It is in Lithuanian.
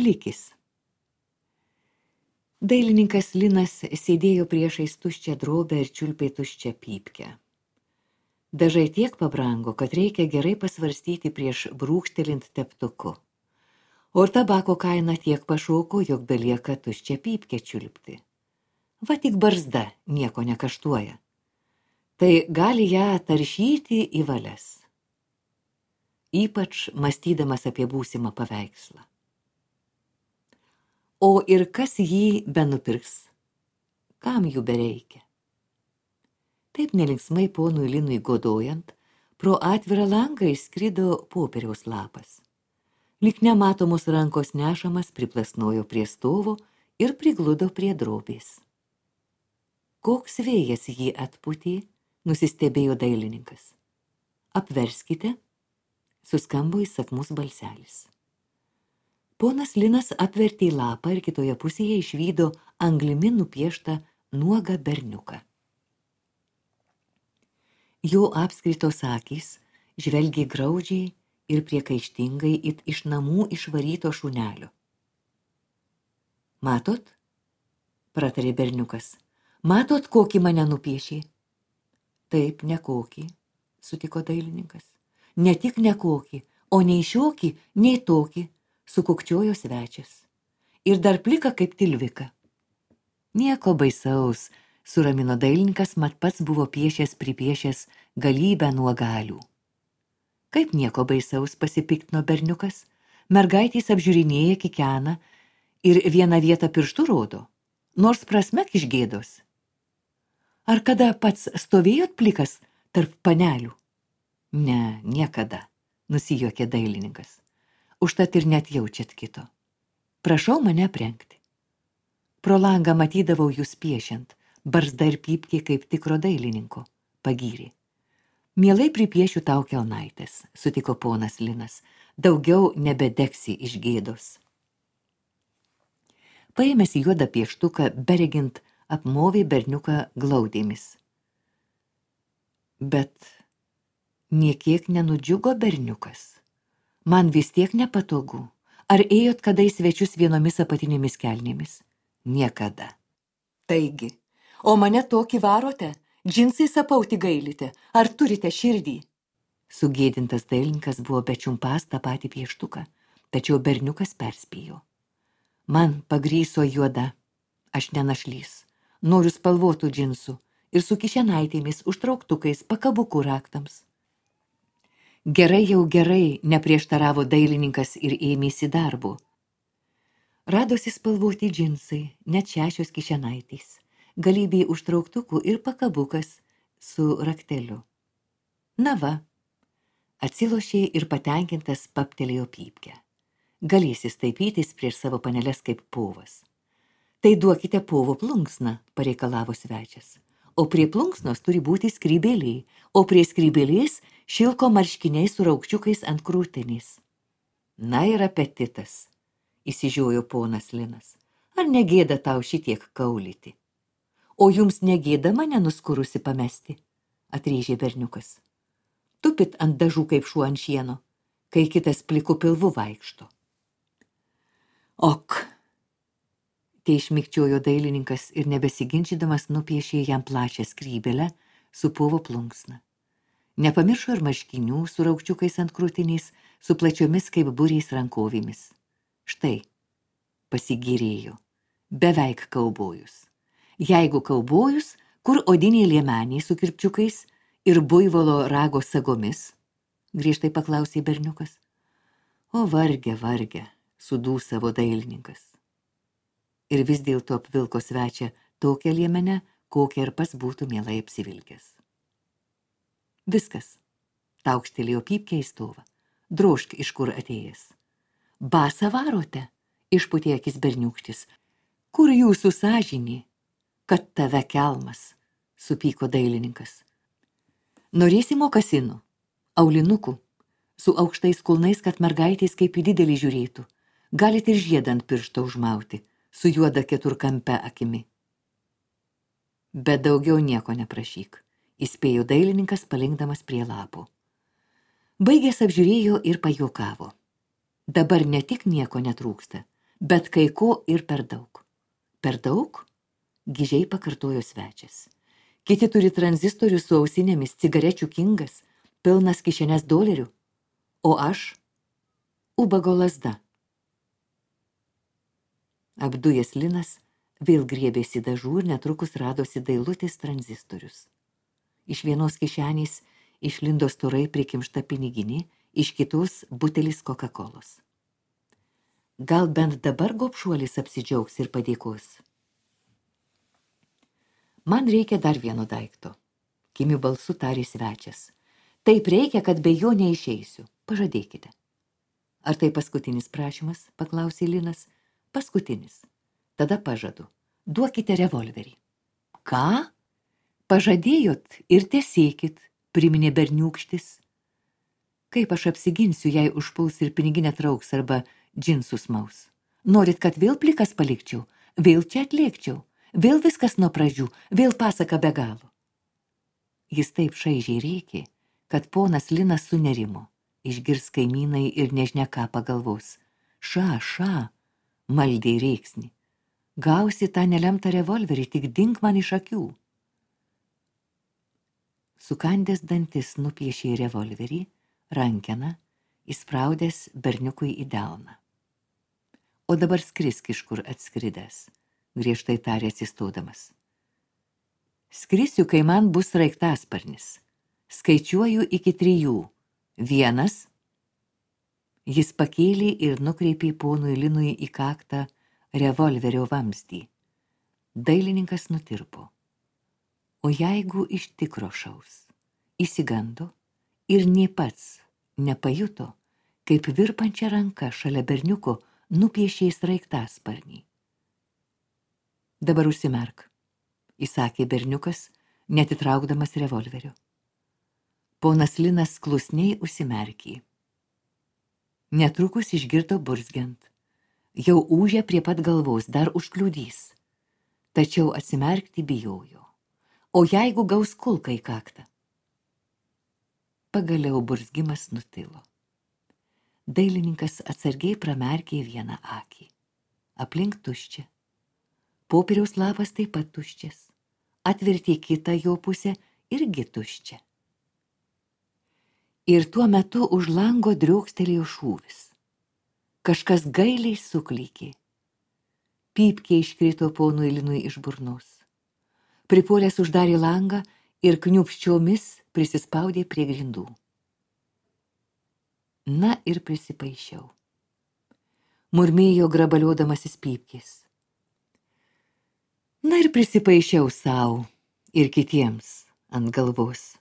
plikis. Dailininkas Linas sėdėjo priešais tuščią drobę ir čiulpė tuščią pypkę. Dažai tiek pabrango, kad reikia gerai pasvarstyti prieš brūkštelint teptuku. O ir tabako kaina tiek pašoko, jog belieka tuščią pypkę čiulpti. Va tik barzda nieko nekaštuoja. Tai gali ją taršyti į valias. Ypač mąstydamas apie būsimą paveikslą. O ir kas jį benupirks? Kam jų bereikia? Taip nelinksmai ponui Linui godojant, pro atvirą langą išskrido popieriaus lapas. Lyg nematomos rankos nešamas priplasnojo prie stovo ir prigludo prie drobės. Koks vėjas jį atpūtė, nusistebėjo dailininkas. Apverskite, suskambo įsakmus balselis. Ponas Linas apvertė lapą ir kitoje pusėje išvydo anglimi nupieštą nuogą berniuką. Jo apskritos akys žvelgė graudžiai ir priekaištingai it iš namų išvaryto šunelio. Matot? Pratarė berniukas. Matot, kokį mane nupiešė? Taip, nekokį, sutiko dailininkas. Ne tik nekokį, o nei šiokį, nei tokį, sukukčiojo svečias. Ir dar plika kaip tilvika. Nieko baisaus, suramino dailininkas, mat pats buvo pripiešęs galybę nuogalių. Kaip nieko baisaus, pasipiktino berniukas, mergaitės apžiūrinėja, kikena ir vieną vietą pirštų rodo, nors prasmek iš gėdos. Ar kada pats stovėjot plikas tarp panelių? Ne, niekada, nusijuokė dailininkas. Užtat ir net jaučiat kito. Prašau mane aprengti. Pro langą matydavau jūs piešiant, barzda ir pypkė kaip tikro dailininko, pagyrė. Mielai pripiešiu tau kelnaitės, sutiko ponas Linas, daugiau nebedegsi iš gėdos. Paėmęs juodą pieštuką, beregint apmovė berniuką glaudėmis. Bet niekiek nenudžiugo berniukas. Man vis tiek nepatogu. Ar ėjot kada į svečius vienomis apatinėmis kelnėmis? Niekada. Taigi, o mane tokį varote? Džinsais apauti gailite? Ar turite širdį? Sugėdintas dailininkas buvo bečiumpas tą patį pieštuką, tačiau berniukas perspėjo. Man pagryso juoda, aš nenašlys, noriu spalvotų džinsų ir su kišenaitėmis, užtrauktukais, pakabukų raktams. Gerai jau gerai, neprieštaravo dailininkas ir ėmėsi darbo. Radosi spalvoti džinsai, net 6 kišenaitės, galybė užtrauktukų ir pakabukas su rakteliu. Na va, atsilošė ir patenkintas paptelėjo pypkę. Galėsi staipytis prieš savo paneles kaip povas. Tai duokite povo plunksną, pareikalavo svečias. O prie plunksnos turi būti skrybėliai, o prie skrybėlės šilko marškiniai su raukčiukais ant krūtinės. Na ir apetitas, įsižiojo ponas Linas. Ar negėda tau šitiek kaulyti? O jums negėda mane nuskurusi pamesti, atrėžė berniukas. Tupit ant dažų kaip šuo ant šieno, kai kitas pliku pilvu vaikšto. Ok, teišmikčiojo dailininkas ir nebesiginčydamas nupiešė jam plačią skrybėlę su povo plunksna. Nepamiršo ir marškinių su raukčiukais ant krūtinės, su plačiomis kaip būriais rankovėmis. Štai, pasigyrėjo, beveik kaubojus. Jeigu kaubojus, kur odiniai liemeniai su kirpčiukais ir buivolo rago sagomis? Griežtai paklausė berniukas. O varge, sudūsavo dailininkas. Ir vis dėlto apvilko svečią tokią liemenę, kokią ir pats būtų mielai apsivilkęs. Viskas, taukštelėjo pypkę į stovą. Drožk, iš kur atėjęs. Basą varote, išpūtė akis berniūkštis. Kur jūsų sąžinė? Kad tave kelmas, supyko dailininkas. Norėsi mokasinų, aulinukų, su aukštais kulnais, kad mergaitės kaip į didelį žiūrėtų. Galit ir žiedą ant piršto užmauti, su juoda keturkampe akimi. Bet daugiau nieko neprašyk, įspėjo dailininkas palinkdamas prie lapo. Baigęs apžiūrėjo ir pajuokavo. Dabar ne tik nieko netrūksta, Bet kai ko ir per daug. Per daug? Gižiai pakartojo svečias. Kiti turi tranzistorių su ausinėmis, cigarečių kingas, pilnas kišenės dolerių. O aš? Ubago lazda. Apdujęs Linas vėl griebėsi dažų ir netrukus radosi dailutis tranzistorius. Iš vienos kišenės išlindo storai prikimšta piniginė, iš kitos butelis Coca-Colos. Gal bent dabar gobšuolis apsidžiaugs ir padėkos. Man reikia dar vieno daikto. Kimiu balsu tarė svečias. Taip reikia, kad be jo neišeisiu. Pažadėkite. Ar tai paskutinis prašymas, paklausė Linas. Paskutinis. Tada pažadu. Duokite revolverį. Ką? Pažadėjot ir tesėkit, priminė berniūkštis. Kaip aš apsiginsiu, jei užpuls ir piniginę trauks arba džinsus maus? Norit, kad vėl plikas palikčiau, vėl čia atliekčiau, vėl viskas nuo pradžių, vėl pasaka be galo. Jis taip šaižiai rėkė, kad ponas Linas sunerimo, išgirs kaimynai ir nežinia ką pagalvos. Ša, maldė rėksnį. Gausi tą nelemtą revolverį, tik dink man iš akių. Sukandęs dantis nupiešė revolverį, rankeną, įspraudęs berniukui į delną. O dabar skrisk iš kur atskridęs, griežtai tarė atsistodamas. Skrisiu, kai man bus sraigtasparnis. Skaičiuoju iki 3. 1. Jis pakėlė ir nukreipė ponui Linui į kaktą revolverio vamzdį. Dailininkas nutirpo. O jeigu iš tikro šaus, įsigando ir nė pats nepajuto, kaip virpančia ranka šalia berniuko nupiešė sraigtasparnį. Dabar užsimerk, įsakė berniukas, netitraukdamas revolverio. Ponas Linas klusniai užsimerkė. Netrukus išgirdo burzgiant. Jau ūžė prie pat galvos, dar užkliudys. Tačiau atsimerkti bijojo. O jeigu gaus kulką į kaktą? Pagaliau burzgimas nutilo. Dailininkas atsargiai pramerkė vieną akį. Aplink tuščia. Popieriaus lapas taip pat tuščias. Atvertė kitą jo pusę irgi tuščia. Ir tuo metu už lango driokstelėjo šūvis. Kažkas gailiai suklykė. Pypkė iškrito ponui Linui iš burnos. Pripuolęs uždarė langą ir kniūpsčiomis prisispaudė prie grindų. Na ir prisipaišiau. Murmėjo grabaliodamasis pypkės. Na ir prisipaišiau sau ir kitiems ant galvos.